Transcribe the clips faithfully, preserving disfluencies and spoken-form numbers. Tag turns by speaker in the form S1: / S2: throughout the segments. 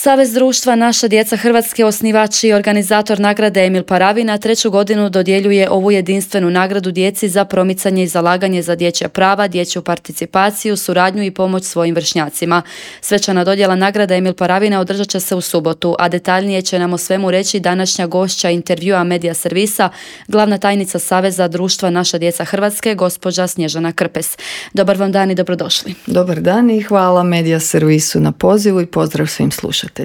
S1: Savez društva Naša djeca Hrvatske, osnivač i organizator nagrade Emil Paravina, treću godinu dodjeljuje ovu jedinstvenu nagradu djeci za promicanje i zalaganje za dječja prava, dječju participaciju, suradnju i pomoć svojim vršnjacima. Svečana dodjela nagrade Emil Paravina održat će se u subotu, a detaljnije će nam o svemu reći današnja gošća intervjua Medija servisa, glavna tajnica Saveza društva Naša djeca Hrvatske, gospođa Snježana Krpes. Dobar vam dan i dobrodošli.
S2: Dobar dan i hvala Medija servisu na pozivu i pozdrav svim slušateljima.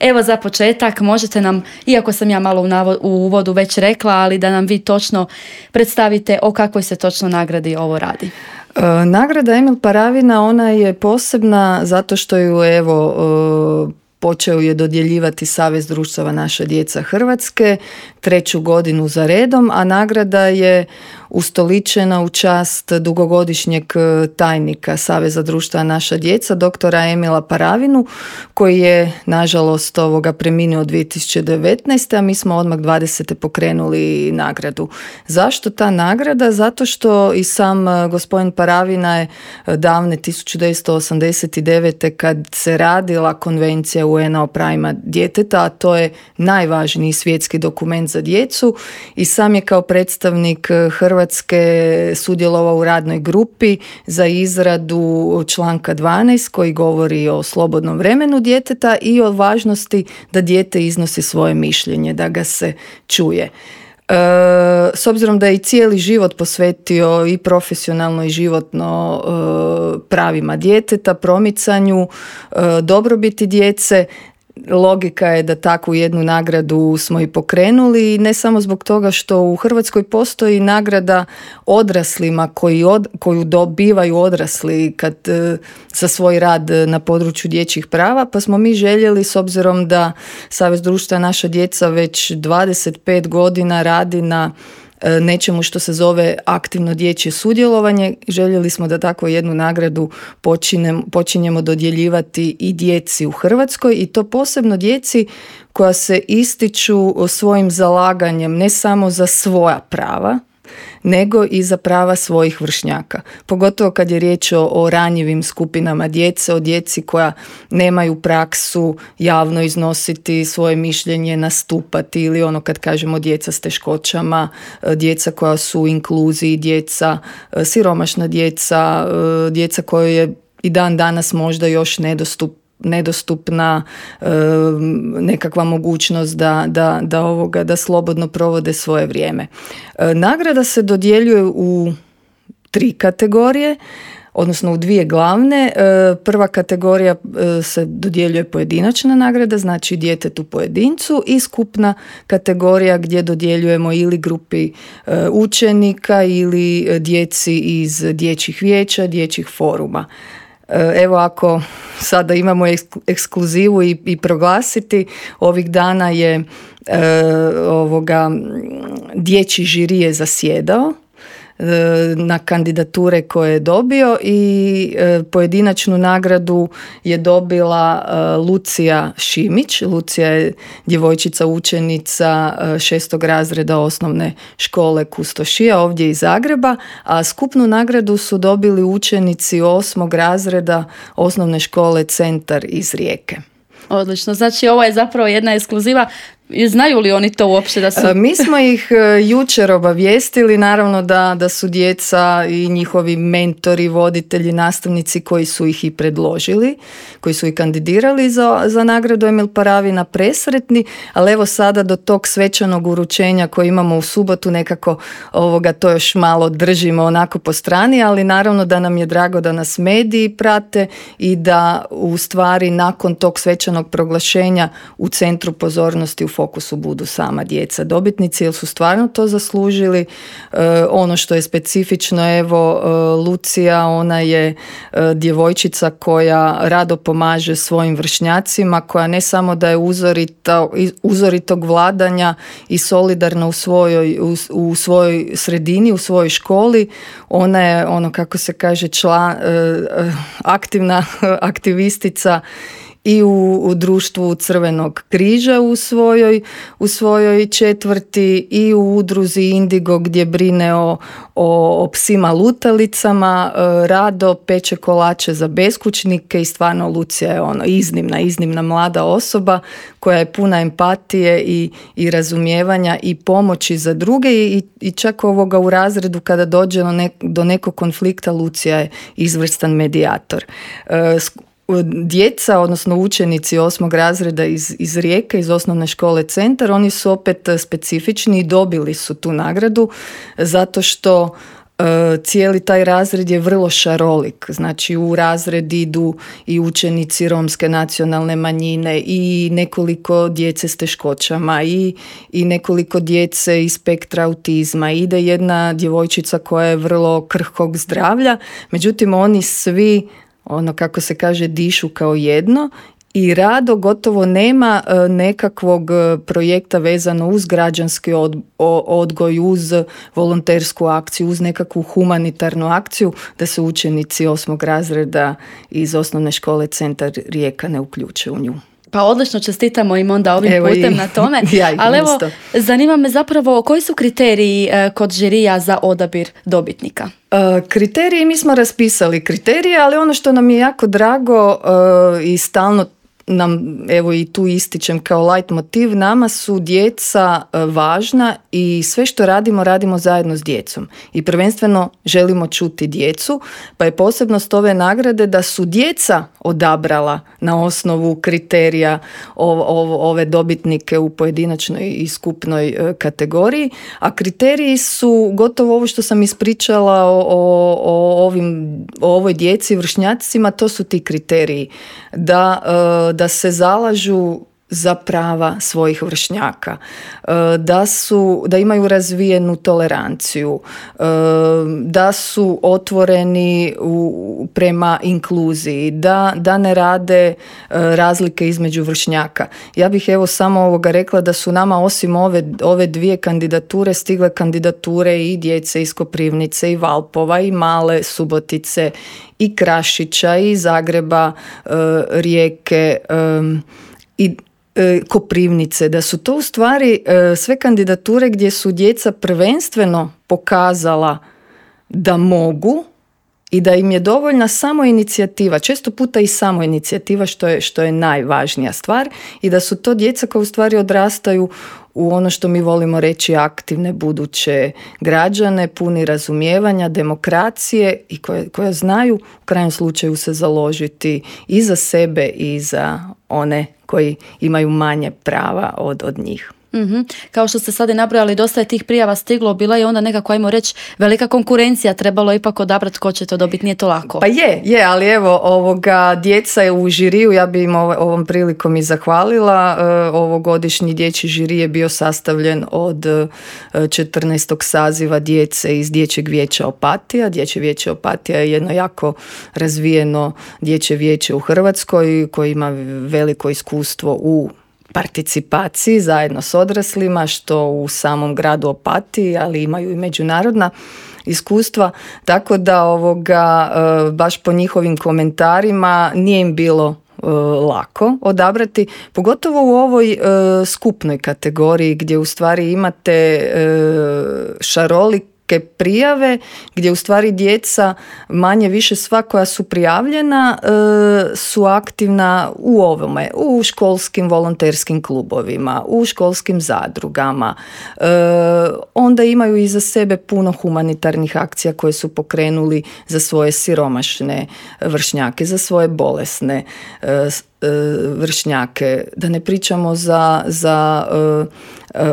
S1: Evo, za početak možete nam, iako sam ja malo u, navo, u uvodu već rekla, ali da nam vi točno predstavite o kakvoj se točno nagradi ovo radi.
S2: E, nagrada Emil Paravina, ona je posebna zato što ju evo e, počeo je dodjeljivati Savez društava Naša djeca Hrvatske treću godinu za redom, a nagrada je ustoličena u čast dugogodišnjeg tajnika Saveza društva Naša djeca, doktora Emila Paravinu, koji je nažalost ovoga preminuo dvije tisuće devetnaeste. a mi smo odmah dvadesete pokrenuli nagradu. Zašto ta nagrada? Zato što i sam gospodin Paravina je davne tisuću devetsto osamdeset devete. kad se radila konvencija U N-a o pravima djeteta, a to je najvažniji svjetski dokument za djecu, i sam je kao predstavnik Hrvatske Hrvatske sudjelovao u radnoj grupi za izradu članka dvanaest koji govori o slobodnom vremenu djeteta i o važnosti da dijete iznosi svoje mišljenje, da ga se čuje. E, s obzirom da je i cijeli život posvetio i profesionalno i životno e, pravima djeteta, promicanju, e, dobrobiti djece, logika je da takvu jednu nagradu smo i pokrenuli, i ne samo zbog toga što u Hrvatskoj postoji nagrada odraslima koji od, koju dobivaju odrasli kad, za svoj rad na području dječjih prava, pa smo mi željeli, s obzirom da Savez društva Naša djeca već dvadeset pet godina radi na nečemu što se zove aktivno dječje sudjelovanje, željeli smo da takvu jednu nagradu počinem, počinjemo dodjeljivati i djeci u Hrvatskoj, i to posebno djeci koja se ističu svojim zalaganjem ne samo za svoja prava, nego i za prava svojih vršnjaka. Pogotovo kad je riječ o, o ranjivim skupinama djece, o djeci koja nemaju praksu javno iznositi svoje mišljenje, nastupati, ili ono kad kažemo djeca s teškoćama, djeca koja su u inkluziji, djeca, siromašna djeca, djeca koja je i dan danas možda još nedostupna nedostupna e, nekakva mogućnost da, da, da, ovoga, da slobodno provode svoje vrijeme. E, nagrada se dodjeljuje u tri kategorije, odnosno u dvije glavne. E, prva kategorija e, se dodjeljuje pojedinačna nagrada, znači djetetu pojedincu, i skupna kategorija gdje dodjeljujemo ili grupi e, učenika ili djeci iz dječjih vijeća, dječjih foruma. Evo, ako sada imamo ekskluzivu i, i proglasiti, ovih dana je e, ovoga, dječji žiri je zasjedao e, na kandidature koje je dobio, i e, pojedinačnu nagradu je dobila e, Lucija Šimić. Lucija je djevojčica učenica e, šestog razreda osnovne škole Kustošija ovdje iz Zagreba, a skupnu nagradu su dobili učenici osmog razreda osnovne škole Centar iz Rijeke.
S1: Odlično, znači ovo je zapravo jedna ekskluziva. Znaju li oni to uopće da su...
S2: Mi smo ih jučer obavijestili, naravno da, da su djeca i njihovi mentori, voditelji, nastavnici koji su ih i predložili, koji su ih kandidirali za, za nagradu Emil Paravina presretni, ali evo sada do tog svečanog uručenja koji imamo u subotu nekako ovoga to još malo držimo onako po strani, ali naravno da nam je drago da nas mediji prate i da u stvari nakon tog svečanog proglašenja u centru pozornosti u fokusu budu sama djeca dobitnici, jer su stvarno to zaslužili. E, ono što je specifično, evo, e, Lucija, ona je e, djevojčica koja rado pomaže svojim vršnjacima, koja ne samo da je uzorita, uzoritog vladanja i solidarna u svojoj, u, u svojoj sredini, u svojoj školi, ona je, ono kako se kaže, član, e, aktivna aktivistica i u, u društvu Crvenog križa u svojoj, u svojoj četvrti i u udruzi Indigo gdje brine o, o, o psima lutalicama, rado peče kolače za beskućnike i stvarno Lucija je ono iznimna, iznimna mlada osoba koja je puna empatije i, i razumijevanja i pomoći za druge i, i čak ovoga u razredu kada dođe do, nek, do nekog konflikta Lucija je izvrstan medijator. Djeca, odnosno učenici osmog razreda iz, iz Rijeke, iz osnovne škole Centar, oni su opet specifični i dobili su tu nagradu zato što cijeli taj razred je vrlo šarolik. Znači u razred idu i učenici romske nacionalne manjine i nekoliko djece s teškoćama i, i nekoliko djece iz spektra autizma. Ide jedna djevojčica koja je vrlo krhkog zdravlja, međutim oni svi, ono kako se kaže, dišu kao jedno i rado gotovo nema nekakvog projekta vezano uz građanski odgoj, uz volontersku akciju, uz nekakvu humanitarnu akciju da se učenici osmog razreda iz osnovne škole Centar Rijeka ne uključe u nju.
S1: Pa odlično, čestitamo im onda ovim
S2: evo
S1: putem
S2: i,
S1: na tome.
S2: Ja
S1: ali evo, zanima me zapravo koji su kriteriji kod žirija za odabir dobitnika?
S2: Uh, kriteriji, mi smo raspisali kriterije, ali ono što nam je jako drago uh, i stalno nam, evo i tu ističem kao light motiv, nama su djeca važna i sve što radimo, radimo zajedno s djecom. I prvenstveno želimo čuti djecu, pa je posebnost ove nagrade da su djeca odabrala na osnovu kriterija ove dobitnike u pojedinačnoj i skupnoj kategoriji, a kriteriji su gotovo ovo što sam ispričala o, o, o, ovim, o ovoj djeci, vršnjacima, to su ti kriteriji. Da da se zalažu za prava svojih vršnjaka, da su, da imaju razvijenu toleranciju, da su otvoreni u, prema inkluziji, da, da ne rade razlike između vršnjaka. Ja bih evo samo ovoga rekla da su nama osim ove, ove dvije kandidature stigle kandidature i djece iz Koprivnice i Valpova i Male Subotice i Krašića i Zagreba, Rijeke i Koprivnice, da su to u stvari sve kandidature gdje su djeca prvenstveno pokazala da mogu i da im je dovoljna samo inicijativa, često puta i samo inicijativa što je, što je najvažnija stvar i da su to djeca koja u stvari odrastaju u ono što mi volimo reći aktivne buduće građane, puni razumijevanja, demokracije i koje, koje znaju u krajnjem slučaju se založiti i za sebe i za one koji imaju manje prava od, od njih.
S1: Mm-hmm. Kao što ste sad i nabrojali, dosta je tih prijava stiglo, bila je onda nekako, ajmo reći, velika konkurencija, trebalo ipak odabrati ko će to dobiti, nije to lako.
S2: Pa je, je, ali evo, ovoga, djeca je u žiriju, ja bi im ovom prilikom i zahvalila, ovogodišnji dječji žiri je bio sastavljen od četrnaestog saziva djece iz Dječjeg vijeća Opatija. Dječje vijeće Opatija je jedno jako razvijeno dječje vijeće u Hrvatskoj koji ima veliko iskustvo u participaciji zajedno s odraslima, što u samom gradu Opatiji, ali imaju i međunarodna iskustva, tako da ovoga, baš po njihovim komentarima nije im bilo lako odabrati, pogotovo u ovoj skupnoj kategoriji gdje u stvari imate šarolik prijave gdje u stvari djeca manje više sva koja su prijavljena e, su aktivna u ovome, u školskim volonterskim klubovima, u školskim zadrugama. E, onda imaju iza sebe puno humanitarnih akcija koje su pokrenuli za svoje siromašne vršnjake, za svoje bolesne e, vršnjake, da ne pričamo za, za e,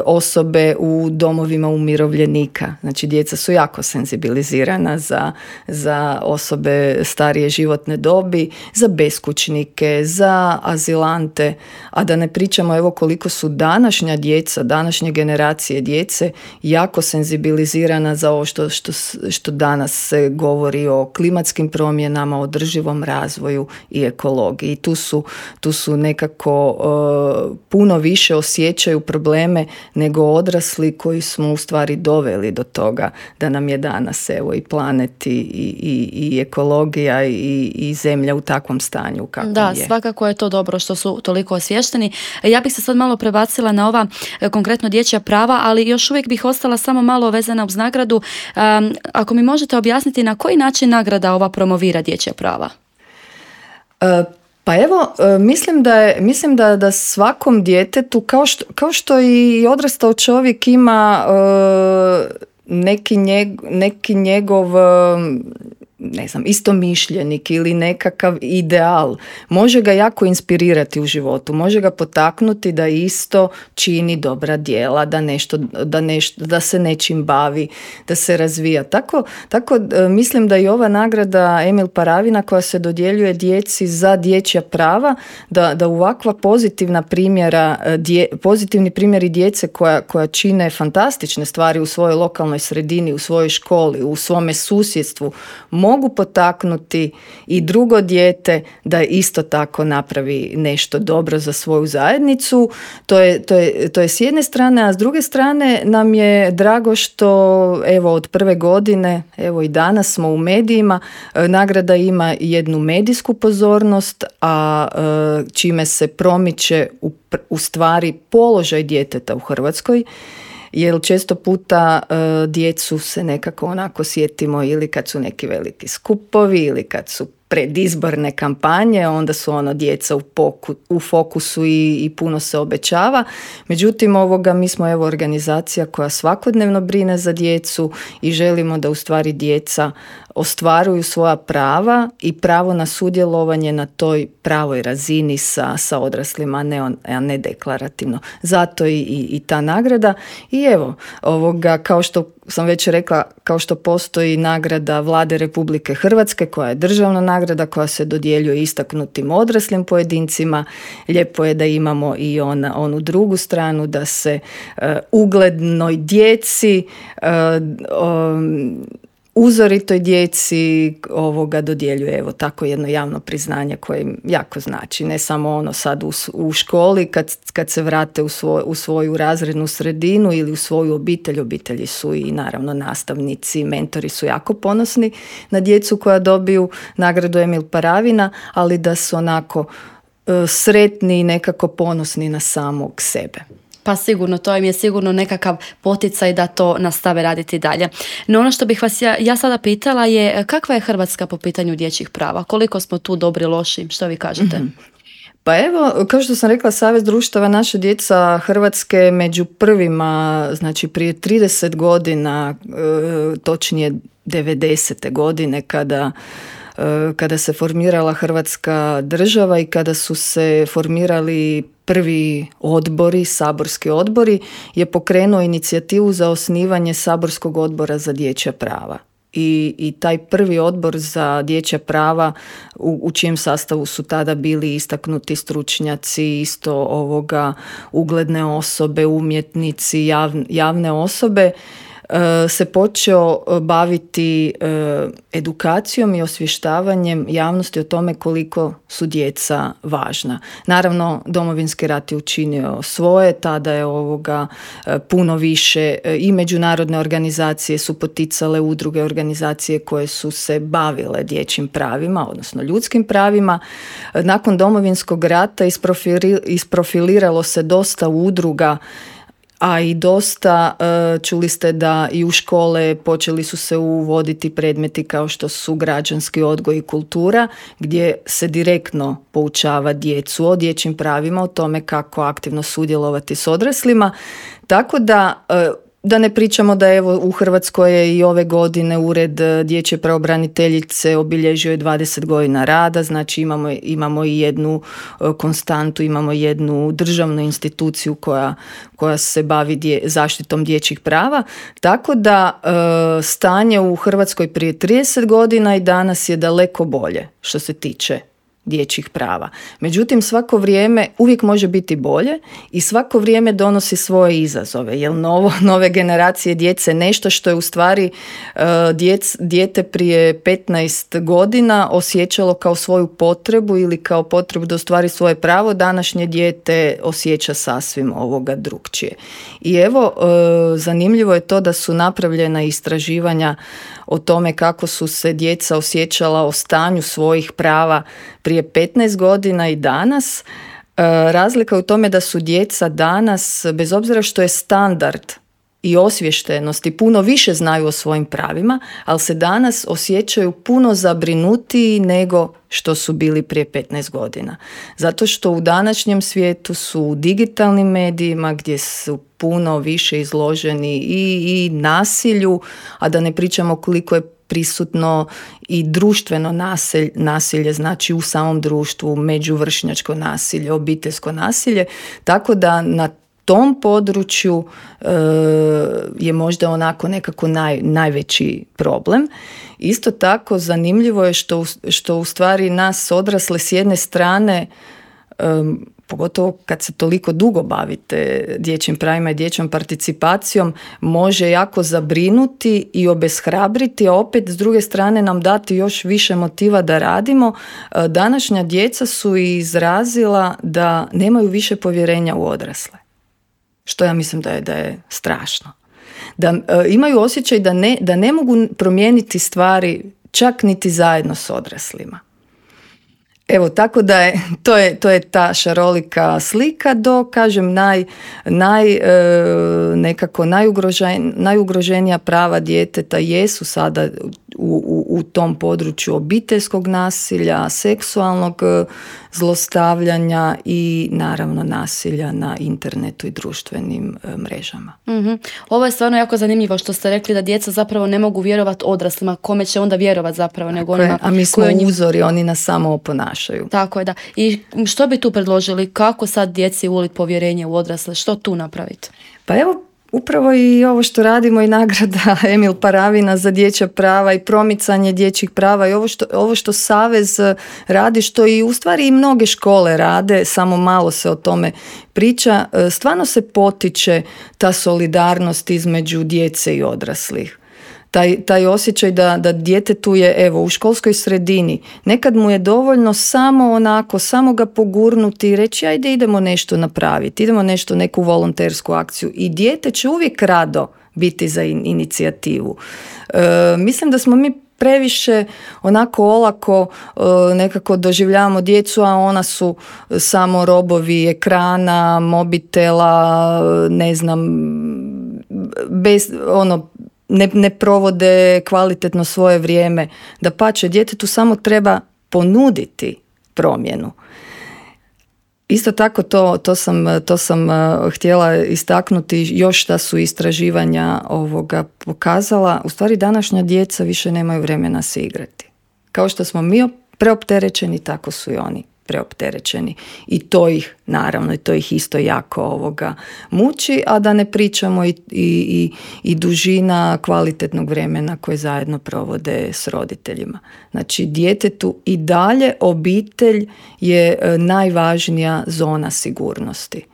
S2: osobe u domovima umirovljenika. Znači djeca su jako senzibilizirana za, za osobe starije životne dobi, za beskućnike, za azilante, a da ne pričamo evo koliko su današnja djeca, današnje generacije djece jako senzibilizirana za ovo što, što, što danas se govori o klimatskim promjenama, održivom razvoju i ekologiji. I tu su tu su nekako uh, puno više osjećaju probleme nego odrasli koji smo u stvari doveli do toga da nam je danas evo i planet i, i, i ekologija i, i zemlja u takvom stanju kakvom
S1: da,
S2: je.
S1: Svakako je to dobro što su toliko osviješteni. Ja bih se sad malo prebacila na ova konkretno dječja prava, ali još uvijek bih ostala samo malo vezana uz nagradu. Um, ako mi možete objasniti na koji način nagrada ova promovira dječja prava?
S2: Uh, Pa evo, mislim da je, mislim da, da svakom djetetu, kao što, kao što i odrastao čovjek ima uh, neki, njeg, neki njegov ne znam, istomišljenik ili nekakav ideal, može ga jako inspirirati u životu, može ga potaknuti da isto čini dobra djela, da, nešto, da, nešto, da se nečim bavi, da se razvija. Tako, tako mislim da i ova nagrada Emil Paravina koja se dodjeljuje djeci za dječja prava, da, da ovakva pozitivna primjera, dje, pozitivni primjeri djece koja, koja čine fantastične stvari u svojoj lokalnoj sredini, u svojoj školi, u svome susjedstvu, mogu potaknuti i drugo dijete da isto tako napravi nešto dobro za svoju zajednicu. To je, to je, to je s jedne strane, a s druge strane nam je drago što evo od prve godine, evo i danas smo u medijima, nagrada ima jednu medijsku pozornost, a čime se promiče u, u stvari položaj djeteta u Hrvatskoj. Jer često puta uh, djecu se nekako onako sjetimo ili kad su neki veliki skupovi ili kad su predizborne kampanje, onda su ono djeca u, poku, u fokusu i, i puno se obećava. Međutim, ovoga mi smo evo organizacija koja svakodnevno brine za djecu i želimo da u stvari djeca ostvaruju svoja prava i pravo na sudjelovanje na toj pravoj razini sa, sa odraslima, a ne, on, a ne deklarativno. Zato i, i, i ta nagrada. I evo, ovoga, kao što sam već rekla, kao što postoji nagrada Vlade Republike Hrvatske koja je državna nagrada koja se dodjeljuje istaknutim odraslim pojedincima, lijepo je da imamo i ona, onu drugu stranu da se uh, uglednoj djeci uh, um, uzoritoj djeci ovoga dodjeljuje evo tako jedno javno priznanje koje im jako znači. Ne samo ono sad u, u školi kad, kad se vrate u, svoj, u svoju razrednu sredinu ili u svoju obitelj. Obitelji su i naravno nastavnici, mentori su jako ponosni na djecu koja dobiju nagradu Emil Paravina, ali da su onako uh, sretni i nekako ponosni na samog sebe.
S1: Pa sigurno, to im je sigurno nekakav poticaj da to nastave raditi dalje. No ono što bih vas ja, ja sada pitala je kakva je Hrvatska po pitanju dječjih prava? Koliko smo tu dobri, loši? Što vi kažete?
S2: Mm-hmm. Pa evo, kao što sam rekla, Savez društava Naša djeca Hrvatske među prvima, znači prije trideset godina, e, točnije devedesete godine kada kada se formirala Hrvatska država i kada su se formirali prvi odbori, saborski odbori, je pokrenuo inicijativu za osnivanje saborskog odbora za dječja prava. I, i taj prvi odbor za dječja prava u, u čijem sastavu su tada bili istaknuti stručnjaci, isto ovoga ugledne osobe, umjetnici, jav, javne osobe, se počeo baviti edukacijom i osvještavanjem javnosti o tome koliko su djeca važna. Naravno, Domovinski rat je učinio svoje, tada je ovoga puno više i međunarodne organizacije su poticale udruge, organizacije koje su se bavile dječjim pravima, odnosno ljudskim pravima. Nakon Domovinskog rata isprofiliralo se dosta udruga, a i dosta, čuli ste da i u škole počeli su se uvoditi predmeti kao što su građanski odgoj i kultura, gdje se direktno poučava djecu o dječjim pravima, o tome kako aktivno sudjelovati s odraslima. Tako da, da ne pričamo da evo u Hrvatskoj je i ove godine Ured dječje pravobraniteljice obilježio je dvadeset godina rada, znači imamo, imamo i jednu konstantu, imamo jednu državnu instituciju koja, koja se bavi dje, zaštitom dječjih prava, tako da e, stanje u Hrvatskoj prije trideset godina i danas je daleko bolje što se tiče dječjih prava. Međutim, svako vrijeme uvijek može biti bolje i svako vrijeme donosi svoje izazove, jer novo, nove generacije djece nešto što je u stvari uh, djec, dijete prije petnaest godina osjećalo kao svoju potrebu ili kao potrebu da ostvari svoje pravo, današnje dijete osjeća sasvim ovoga drukčije. I evo, uh, zanimljivo je to da su napravljena istraživanja o tome kako su se djeca osjećala o stanju svojih prava prije petnaest godina i danas. E, razlika je u tome da su djeca danas, bez obzira što je standard i osviještenost i puno više znaju o svojim pravima, ali se danas osjećaju puno zabrinutiji nego što su bili prije petnaest godina. Zato što u današnjem svijetu su u digitalnim medijima gdje su puno više izloženi i, i nasilju, a da ne pričamo koliko je prisutno i društveno nasilje, nasilje, znači u samom društvu, međuvršnjačko nasilje, obiteljsko nasilje, tako da na tom području e, je možda onako nekako naj, najveći problem. Isto tako zanimljivo je što, što u stvari nas odrasle s jedne strane, e, pogotovo kad se toliko dugo bavite dječjim pravima i dječjom participacijom, može jako zabrinuti i obeshrabriti, a opet s druge strane nam dati još više motiva da radimo. Današnja djeca su izrazila da nemaju više povjerenja u odrasle. Što ja mislim da je, da je strašno. Da e, imaju osjećaj da ne, da ne mogu promijeniti stvari čak niti zajedno s odraslima. Evo, tako da je, to je, to je ta šarolika slika do, kažem, naj, naj, e, nekako najugrožen, najugroženija prava djeteta jesu sada u, u, u tom području obiteljskog nasilja, seksualnog zlostavljanja i naravno nasilja na internetu i društvenim e, mrežama.
S1: Mm-hmm. Ovo je stvarno jako zanimljivo što ste rekli da djeca zapravo ne mogu vjerovati odraslima, kome će onda vjerovati zapravo nego onima.
S2: A mi smo
S1: njih...
S2: uzori, oni nas samo oponašaju.
S1: Tako je, da. I što bi tu predložili? Kako sad djeci uliti povjerenje u odrasle? Što tu napraviti?
S2: Pa evo, upravo i ovo što radimo i nagrada Emil Paravina za dječja prava i promicanje dječjih prava i ovo što, ovo što Savez radi, što i u stvari i mnoge škole rade, samo malo se o tome priča, stvarno se potiče ta solidarnost između djece i odraslih. Taj, taj osjećaj da, da djetetu je, evo, u školskoj sredini, nekad mu je dovoljno samo onako, samo ga pogurnuti i reći ajde idemo nešto napraviti, idemo nešto, neku volontersku akciju i dijete će uvijek rado biti za in, inicijativu. E, mislim da smo mi previše onako olako e, nekako doživljavamo djecu, a ona su samo robovi ekrana, mobitela, ne znam, bez, ono, Ne, ne provode kvalitetno svoje vrijeme. Dapače, djetetu samo treba ponuditi promjenu. Isto tako to, to sam, to sam uh, htjela istaknuti još da su istraživanja ovoga pokazala. U stvari današnja djeca više nemaju vremena se igrati. Kao što smo mi preopterećeni, tako su i oni preopterećeni. I to ih, naravno, i to ih isto jako ovoga muči, a da ne pričamo i, i, i, i dužina kvalitetnog vremena koje zajedno provode s roditeljima. Znači, djetetu i dalje obitelj je najvažnija zona sigurnosti.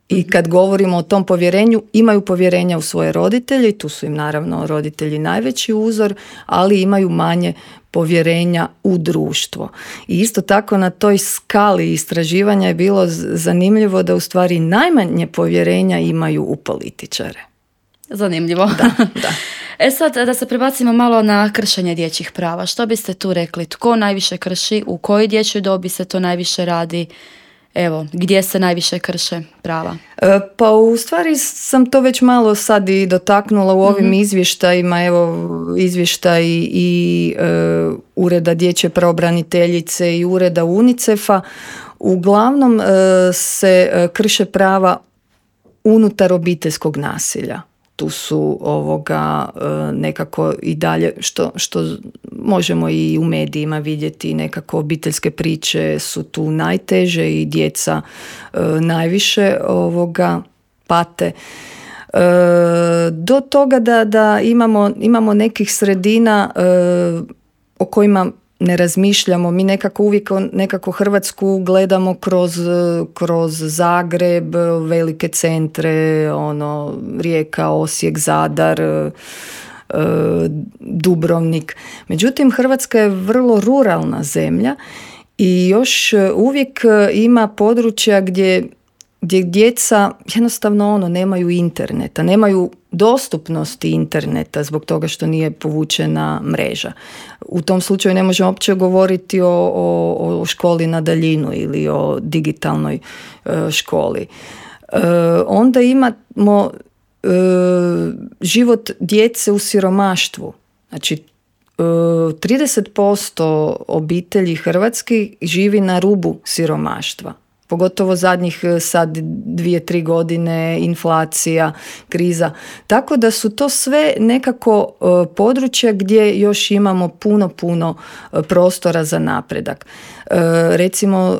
S2: I kad govorimo o tom povjerenju, imaju povjerenja u svoje roditelje i tu su im naravno roditelji najveći uzor, ali imaju manje povjerenja u društvo. I isto tako na toj skali istraživanja je bilo zanimljivo da u stvari najmanje povjerenja imaju u političare.
S1: Zanimljivo.
S2: Da, da.
S1: E sad da se prebacimo malo na kršenje dječjih prava. Što biste tu rekli? Tko najviše krši? U kojoj dječjoj dobi se to najviše radi? Evo, gdje se najviše krše prava?
S2: E, pa u stvari sam to već malo sad i dotaknula u ovim mm-hmm. izvještajima, evo izvještaj i e, Ureda dječje pravobraniteljice i Ureda UNICEF-a. Uglavnom e, se e, krše prava unutar obiteljskog nasilja. Tu su ovoga nekako i dalje, što, što možemo i u medijima vidjeti, nekako obiteljske priče su tu najteže i djeca najviše ovoga pate. Do toga da, da imamo, imamo nekih sredina o kojima ne razmišljamo, mi nekako uvijek nekako Hrvatsku gledamo kroz, kroz Zagreb, velike centre, ono, Rijeka, Osijek, Zadar, Dubrovnik. Međutim, Hrvatska je vrlo ruralna zemlja i još uvijek ima područja gdje, gdje djeca jednostavno ono, nemaju interneta, nemaju dostupnosti interneta zbog toga što nije povučena mreža. U tom slučaju ne možemo uopće govoriti o, o, o školi na daljinu ili o digitalnoj e, školi. E, onda imamo e, život djece u siromaštvu. Znači, trideset posto obitelji hrvatskih živi na rubu siromaštva. Pogotovo zadnjih sad dvije, tri godine, inflacija, kriza. Tako da su to sve nekako područja gdje još imamo puno, puno prostora za napredak. Recimo,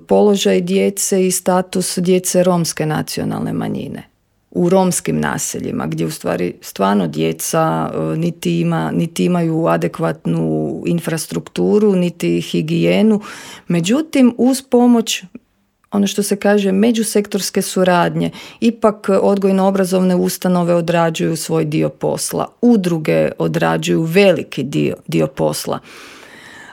S2: položaj djece i status djece romske nacionalne manjine u romskim naseljima, gdje u stvari stvarno djeca niti, ima, niti imaju adekvatnu infrastrukturu, niti higijenu. Međutim, uz pomoć, ono što se kaže, međusektorske suradnje, ipak odgojno-obrazovne ustanove odrađuju svoj dio posla, udruge odrađuju veliki dio, dio posla.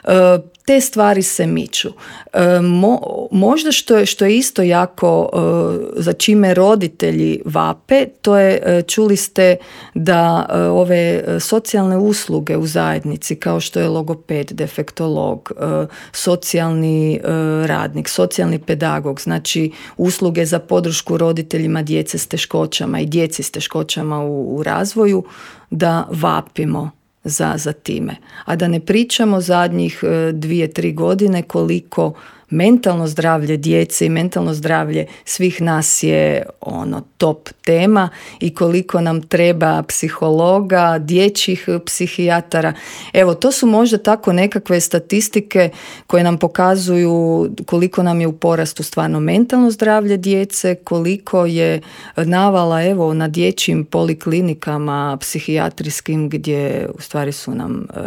S2: E, te stvari se miču. E, mo, možda što je, što je isto jako e, za čime roditelji vape, to je, e, čuli ste da e, ove socijalne usluge u zajednici, kao što je logoped, defektolog, e, socijalni e, radnik, socijalni pedagog, znači usluge za podršku roditeljima djece s teškoćama i djeci s teškoćama u, u razvoju, da vapimo za, za time. A da ne pričamo zadnjih dvije, tri godine koliko mentalno zdravlje djece i mentalno zdravlje svih nas je ono top tema i koliko nam treba psihologa, dječjih psihijatara. Evo, to su možda tako nekakve statistike koje nam pokazuju koliko nam je u porastu stvarno mentalno zdravlje djece, koliko je navala evo na dječjim poliklinikama psihijatrijskim gdje u stvari su nam e,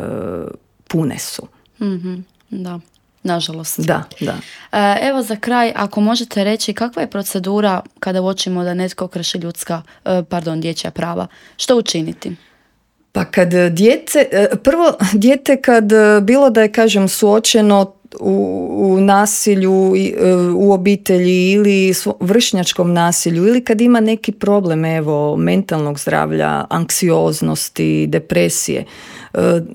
S2: pune su.
S1: Mm-hmm, da. Nažalost.
S2: Da, da.
S1: Evo za kraj, ako možete reći kakva je procedura kada uočimo da netko krši ljudska, pardon, dječja prava? Što učiniti?
S2: Pa kad dijete, prvo dijete kad bilo da je, kažem, suočeno u, u nasilju u obitelji ili vršnjačkom nasilju ili kad ima neki problem, evo, mentalnog zdravlja, anksioznosti, depresije,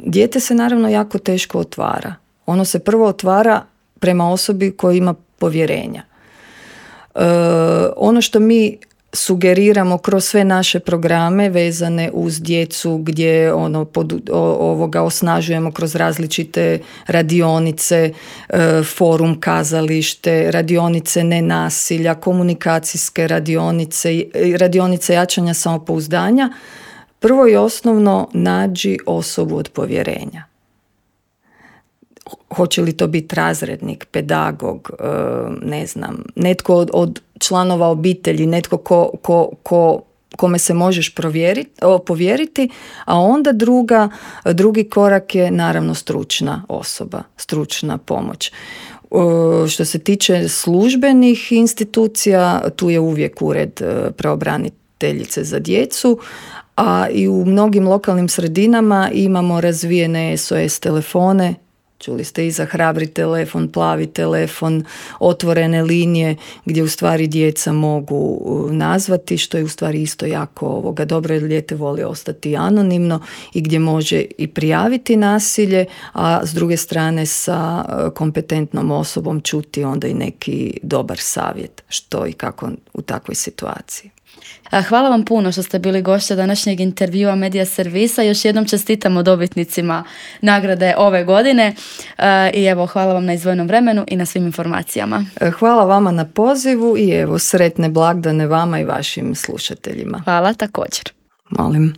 S2: dijete se naravno jako teško otvara. Ono se prvo otvara prema osobi koja ima povjerenja. E, ono što mi sugeriramo kroz sve naše programe vezane uz djecu gdje ono pod, o, ovoga osnažujemo kroz različite radionice, e, forum kazalište, radionice nenasilja, komunikacijske radionice, radionice jačanja samopouzdanja. Prvo i osnovno, nađi osobu od povjerenja. Hoće li to biti razrednik, pedagog, ne znam, netko od, od članova obitelji, netko ko, ko, ko, kome se možeš povjeriti, a onda druga, drugi korak je naravno stručna osoba, stručna pomoć. Što se tiče službenih institucija, tu je uvijek ured pravobraniteljice za djecu, a i u mnogim lokalnim sredinama imamo razvijene S O S telefone. Čuli ste i za hrabri telefon, plavi telefon, otvorene linije gdje u stvari djeca mogu nazvati, što je u stvari isto jako ovoga dobro jer dijete voli ostati anonimno i gdje može i prijaviti nasilje, a s druge strane sa kompetentnom osobom čuti onda i neki dobar savjet što i kako u takvoj situaciji.
S1: Hvala vam puno što ste bili gošća današnjeg intervjua Medija Servisa. Još jednom čestitamo dobitnicima nagrade ove godine i evo, hvala vam na izdvojenom vremenu i na svim informacijama.
S2: Hvala vama na pozivu i evo, sretne blagdane vama i vašim slušateljima.
S1: Hvala također.
S2: Molim.